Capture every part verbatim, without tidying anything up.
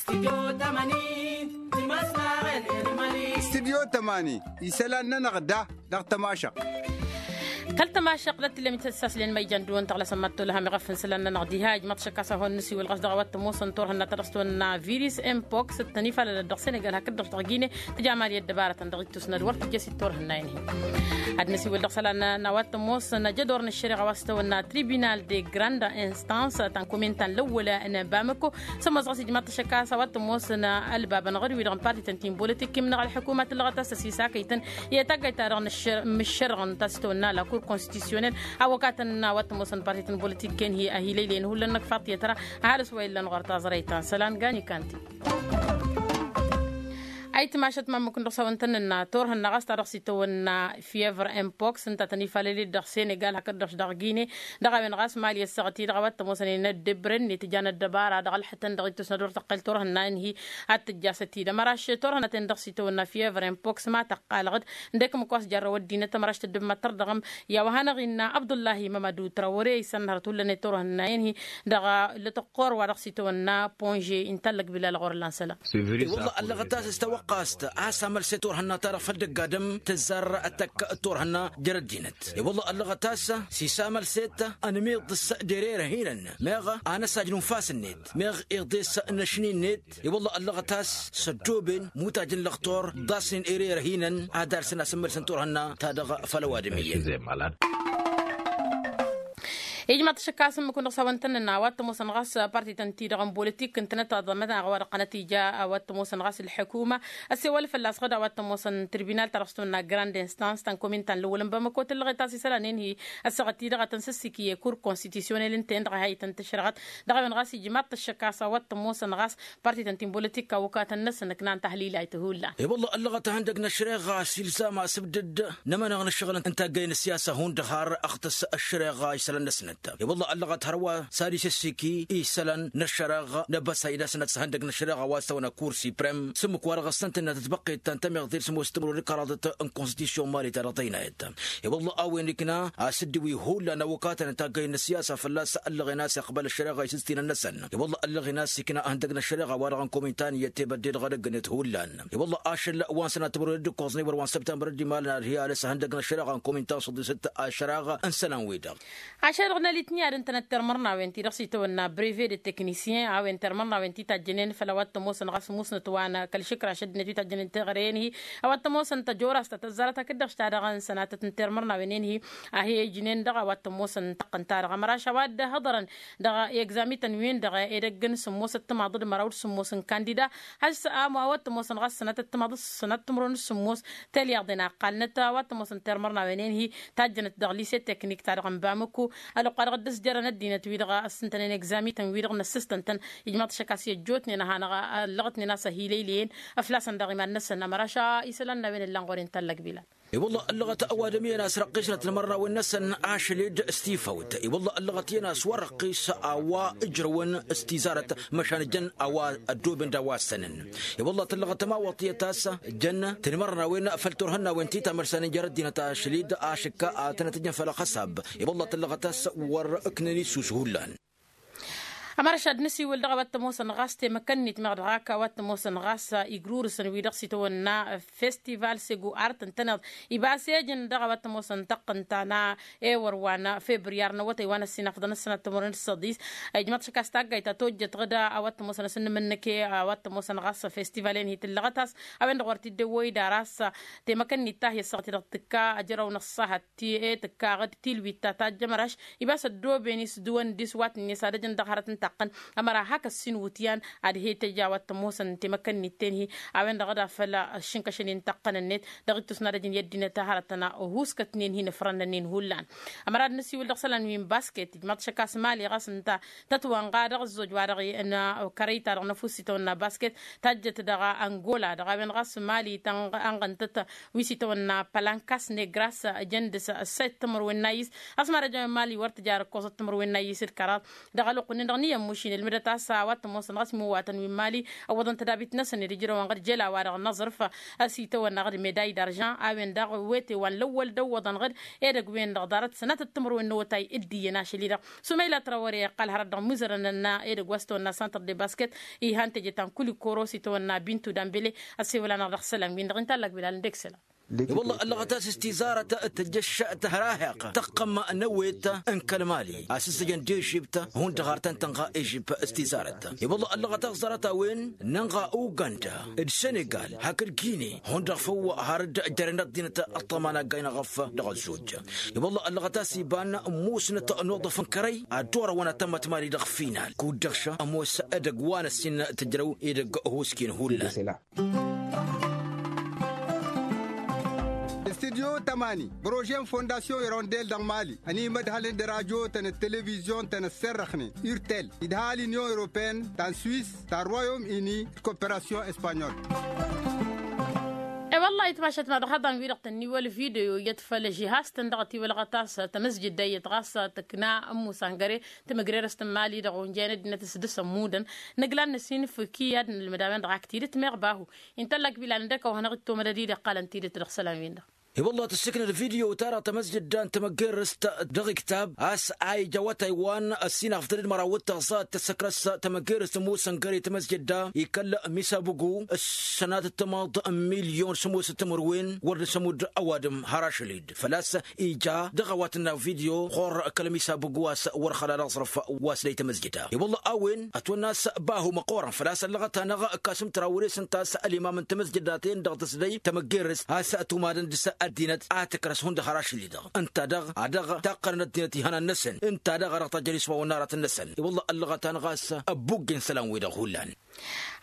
Stidyo tămani isălan-nănăɣ da dăɣ-tămašăɣt. Kăl-tămašăɣt d-ad-t-illăm ităssaslen ma ijan dăɣ-wăn tăɣlasăn mad-tolăhăm iɣăf n-isălan-nănăɣ diha ijmaḍ-t ašăk a-s a hon-nǝsiwǝl ɣas dăɣ-a-wa t-ămoosăn turhǝnna ta dăɣ-s tawănna virus impox d-tănifalălăt dăɣ-senegal hakd-dăɣ dăɣ-gine. Tǝja mali ăddăbarătăn dăɣ-ittus n-ad-wăr tǝjjăs i-turhǝnna-in-hi. Ad-nǝsiwǝl dăɣ-isălan n-a-wa t-ămoosăn ajădor n-ăššăreɣa wa s-tawănna tribunal de granda instans ta n-kuminta n-lăwwăla n-bamăko. Sămoos ɣas ijmaḍ-t ašăk a-s a-wa t-ămoosăn ălbabăn ɣur-wi-dăɣ n-partităn ti n-bolitik imnăɣ ălḥukuma tǝllăɣăt a-s ăsisakăytăn i-taggayt-ta-dăɣ n-ăššărɣăn ta s-tawănna la kur konstisyonel. A wăkatăn a-wa t-ămoosăn partităn bolitik-en-hi ăhilăylăyăn hullan n-ăkfaḍ tiyătra. Ăhalǝs wa illăn ɣur-taẓrăyt ta n-isălan gani kanti. Ayǝtmašăt ma ǝmmǝk-ǝnna dăɣ-s a-wa n-tăn-nǝnna turhǝnna ɣas ta dăɣ-s itawănna fievre impox ǝnta tăn-ifalăled dăɣ-senegal hakd-dăɣ dăɣ-gine. Dăɣ-a-wen ɣas mali ăssaɣăt-i-dăɣ a-wa t-ămoosăn inăddebren n-itǝja n-ăddăbara dăɣ-ălḥătăn dăɣ-ittus n-ad-wăr tăqqel turhǝnna-in-hi. Ad-tǝjjasăt-dd ămăraš turhǝnna-ten dăɣ-s itawănna fievre impox ma tăqqalăɣ-dd. Ǝndek ǝmmǝk wa s-jarrăw ăddinăt ămăraš tăddǝb mad-tărdăɣăm. I-a-wa hanăɣ-innă abdullahi mămădu trawăre isănnăhărăt hullan i-turhǝnna-in-hi. Dăɣ-lătăqqor wa dăɣ-s itawănna ponže intallăg bilal ɣur-ǝllan sălam. I-wălla ăllăɣăt a-s s-tawăqqast a-s amălset turhǝnna-ta-dăɣ făll-dăgg adǝm tǝzzar ăttăkk d-turhǝnna jer-ăddinăt. I-wălla ăllăɣăt a-s s-isamălset ănmiḍ s-dererăhinăn meɣ anăsaj n-unfas-net meɣ iḍes n-ašni-net. I-wălla ăllăɣăt a-s s-ăddooben mutaj n-lăxtur ḍasnen ererăhinăn ad-alsăn asǝmmălsăn turhǝnna-ta-dăɣ făll-ăwadǝm iyyăn. Ijmaḍ-t ašăk a-s ǝmmǝk-wăn dăɣ-s a-wa n-tăn-nǝnna a-wa t-ămoosăn ɣas parti tăn-ti-dăɣ n-bolitik ǝntănăt aḍămăt a-wa dăɣ-tăn-ija a-wa t-ămoosăn ɣas ǝlḥǝkuma. Ăssewăl fălla-s ɣǝd a-wa t-ămoosăn tirbinal ta dăɣ-s tăwănna grand instans ta n-komin ta n-lăwwăl n-bamăko tǝllăɣet a-s isălan-en-hi. Ăssaɣăt-i-dăɣ a tăn-săssiki i-kur konstitisyon-el ǝnta-en-dăɣ a hi-tăn-tǝšrăɣăt. Dăɣ-a-wen ɣas ijmaḍ-t ašăk a-s a-wa t-ămoosăn ɣas parti tăn-ti n-bolitik a wăkatăn-năsăn ǝknan tahlilay ti hullan. I-wălla ăllăɣăt ihăndăg n-ăššăreɣa s-ilzam asǝbdǝd n-amăneɣ n-ǝššăɣǝl n-taggayen n-siyasa hundăɣ har ăɣtǝs ăššăreɣa isălan-năsnăt. I-wălla ăllăɣăt hărwa s-ad-isǝssiki isălan n-ăššăreɣa n-abăsay-năsnăt s-ihăndăg n-ăššăreɣa wa s-tăwănna kur siprem s-ǝmmǝk wa dăɣ-ăssăntănnăt ătbăqqet ta n-tămiɣt d-sămoos timǝrwen d-kăraḍăt n-konstitisyon mali ta dăɣ-tăynayăt. I-wălla a-wen ikna a-s dd-wi hullan awăkatăn n-taggayen n-ăssiyasa fălla-s ăllăɣen a-s iqbăl ăššăreɣa isǝstinăn-năsăn. I-wălla ăllăɣen a-s ikna ihăndăg n-ăššăreɣa wa dăɣ-n komintan i-ăttebădde dăɣ-edăgg-net hullan. I-wălla ašăl wa n-sănat timǝrwen d-ǝkkoẓ n-iwăr wa n-săbtămbăr d-imalăn ad-hi-ales ihăndăg n-ăššăreɣa n-komintan s-dd-isǝt ašăreɣa n-isălan-wi-dăɣ. Ašăl-dăɣ n-alitni ad-ǝntănăt tirmărnawen ti dăɣ-s itawănna breve de teknisyen a-wen tirmărnawen ti tajjănen făll-a-wa t-ămoosăn ɣas musnăt wa n-kăl-išǝkraš ăddinăt wi tajjănen teɣăre-en-hi. A-wa t-ămoosăn tăjorast ta tăzzarăt hakd-dăɣ s-ta-dăɣ n-sănatăt n-tirmărnawen-en-hi. A hi-ijnen dăɣ-a-wa t-ămoosăn tăqqǝn-ta-dăɣ ămăraš a-wa dd-hăḍărăn dăɣ-egzamitan-win-dăɣ edăgg n-sǝmmosăt timaḍ d-măraw d-sǝmmos n-kandida. Has-amo a-wa t-ămoosăn ɣas sănatăt timaḍ s-sănat timǝrwen d-sǝmmos. Tălyaḍen a ăqqalnăt a-wa t-ămoosăn tirmărnawen-en-hi tajjănăt dăɣ-lise teknik-ta-dăɣ n-bamăko. Ălwăqqa-dăɣ dd-ăsjărăn ăddinăt-wi-dăɣ ăssǝntănen egzamitan-wi-dăɣ n-ăssistăn-tăn. Ijmaḍ-t ašăk a-s i-ăjjootnen a hanăɣ-ăllăɣătnen a-s ăhilăylăyăn. Ăflasăn daɣ iman-năsăn ămăraš isălan n-a-wen ǝllan ɣur-i n-tallăg bilal. I-wălla ăllăɣăt ăwadǝm iyyăn a-s răqqisnăt timărnawen-năsăn ašăl-dd s-tifawt. I-wălla ăllăɣăt iyyăn a-s wăr-răqqis a-wa ǝjrăwăn s-tizarăt măšan jăn a-wa ăddooben d-a-wa ăssănăn. I-wălla tǝllăɣăt ămawăḍ tiyyăt a-s jăn tinmărnawen făll-turhǝnnawen ti tamărsănen jer-ăddinăt ašăl-dd ašǝkka ad-tănăt-ǝjăn făll-ăxăsab. I-wălla tǝllăɣăt a-s wăr-ǝknen issus hullan. Ămărăš ad-nǝsiwǝl dăɣ-a-wa t-ămoosăn ɣas temăkănnit meɣ dăɣ-ak a-wa t-ămoosăn ɣas igrurǝsăn wi-dăɣ s-itawănna festival segu art ǝntăneḍ. Ibas ejăn dăɣ-a-wa t-ămoosăn tăqqǝnta n-ewăr wa n-febriyar n-awătay wa n-ăssinafăḍăn ăssanat timǝrwen d-săḍis. Ijmăḍ šăkkas taggayt ta tojjăt ɣǝd a-wa t-ămoosăn asǝnnǝm-năk i-a-wa t-ămoosăn ɣas festival-en hi-tǝllăɣăt a-s a-wen-dăɣ wăr t-dd-ewwăy d-aras. Temăkănnit ta hi-ăssaɣăt i-dăɣ tǝkka ajrăw n-ăṣṣahăt ti e tǝkka ɣǝd tilwit ta tajj ămăraš. Ibas ăddooben-i s-dăwăn d-iswatnen s-ad-ăjăn dăɣ-hărăt n-taqqăn. Ămăra hak ăssin wutyan ad-he-tăj a-wa t-ămoosăn temăkănnit-ten-hi. A-wen-dăɣ dd-afăl ǝššǝnkăšăn-i n-taqqăn-net dăɣ-ittus n-ad-ăjăn i-ăddinăt hărătăn. Huskătnen-hi n-ifrănnănen hullan. Ămăra ad-nǝsiwǝl dăɣ-isălan wi n-basket ijmaḍ-t ašăk a-s mali ɣas ǝnta tătwănɣa dăɣ-ăzzoj wa dăɣ-i n-kărăy-ta-dăɣ n-ăfuss itawănna basket. Tajjăt dăɣ-angola dăɣ-a-wen ɣas mali tănɣăntăt wi s-itawănna pălankas negras. Ǝjăn dăɣ-s ăssayăt timǝrwen n-ayǝs. Ăsmar ăjăwen mali wăr tǝjar ǝkkoẓăt timǝrwen n-ayǝs d-kăraḍ. Dăɣ-ălwăqq-nin-dăɣ n-i i-ămmuš-in ǝlmǝdăt a-s a-wa t-ămoosăn ɣas imǝwwatăn wi n-mali ăwwăḍăn tădabit-năsăn i-dd-ǝjrăwăn ɣǝd jel a-wa-dăɣ n-aẓrǝf. A-s itawănna ɣǝd meday d-aržan a-wen daɣ wete wa n-lăwwăl d-ăwwăḍăn-ɣǝd edăgg-wen-dăɣ ḍarăt sănatăt timǝrwen n-awătay d-iyyăn ašăl-i-dăɣ. Sumăyla tărawăre iqqal hărăt dăɣ-imuzărăn n-edăgg wa s-tawănna santăr de basket. Ihan teje ta n-kulikoro s-itawănna bintu dambele. Ăssewăl-anăɣ dăɣ-isălan-win-dăɣ inta ăllak bilal n-dek isălan. I-wălla ăllăɣăt a-s s-tizarăt tǝjjăš tǝhraheɣt tăqqăm n-ewet n-kăl-mali a-s ǝzzăjăn d-ežibt. Hundăɣ ar tăn-tănɣa ežibt s-tizarăt. I-wălla ăllăɣăt a-s ẓarăt a-wen nănɣa uganda d-senegal hakd gine. Hundăɣ făw har dd-jărăn ăddinăt ăṭṭăma n-aggay n-aɣăf dăɣ-ăzzojj. I-wălla ăllăɣăt a-s iba n-musnăt n-uḍăf n-kărăy ad-dd-orăwăn ad-tămmăt mali dăɣ-final kud-dăɣ šămoos edăgg wa n-ăssin tǝjrăw edăgg. Huskin hullan. Studyo tămani bărožen fondasyon irondel dăɣ-mali ănimădhălăn d-rajotăn d-televizyon-tăn ăsserrăxnen urtel idha l-inyon europeen ta n-swis ta n-royom ini d-koperasyon espanyol. E-wălla-hi tmašat ma dăɣ-haḍan-wi-dăɣ tănniwăl video iyyăt făll-žihaz-tăn dăɣ-ătiwălɣăt a-s tămăsjǝdda iyyăt ɣas tǝkna ămmusangăre. Tămăgrerăst n-mali-dăɣ onjăyăn ăddinăt s-dăɣ-sămmudăn nǝglan n-ăsinǝfǝk i-ad-nǝlmǝd a-wen-dăɣ ak tidǝt meɣ bahu. Inta ăllak bilal n-dăkk a-wa hanăɣ-dd-tomădăd-i d-iqqalăn tidǝt dăɣ-isălan-win-dăɣ. I-wălla tǝssǝknăd video-ta-dăɣ tămăsjǝdda n-tămăggerrăst dăɣ-iktab a-s a ija awătay wa n-ăssinăɣ făll-tădd măraw d-tăɣẓat tăssăkrăs tămăggerrăst n-musăngăre tămăsjǝdda ikăl misabugu. Sănatăt tămaḍ n-milyon sămoosăt timǝrwen wăr dăr-s ămudd ăwadǝm har ašăl-dd făl-a-s ija dăɣ-a-wa tǝnna video ɣur-kăl-misa bǝgg wa s-wăr xăla d-aẓrǝf wa s-lăy tamăzjăda i-wălla a-wen ătwănna a-s bahu măqqoorăn făl-a-s ăllăɣăt-anăɣ ǝkkasăm tărawăre s-ǝnta a-s ălimam n-tamăzjăda-ten-dăɣ tǝslăy tamăggerrăst a-s tumadăn dăr-s ăddinăt a tǝkrăs hundăɣ har ašăl-i-dăɣ ǝnta-dăɣ a dăɣ-taqqălăn ăddinăt ihănan-năsăn ǝnta-dăɣ a dăɣ-tajjăr iswawăn n-aratăn-năsăn i-wălla ăllăɣăt-anăɣ a-s ăbbuggen isălan-wi-dăɣ hullan.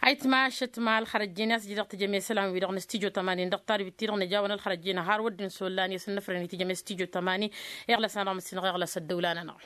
Ayǝtmašăt ma ălxărăjjen i-a-s iji dăɣ-tijăme isălan-wi-dăɣ n-studyo tămani dăɣ-talbit-ti-dăɣ nǝjawăn ălxărăjjen har wădden s-ollan i-asǝnnăfrăn i-tijăme studyo tămani. Iɣlăs-anăɣ mǝssinăɣ iɣlăs ăddăwla-nănăɣ.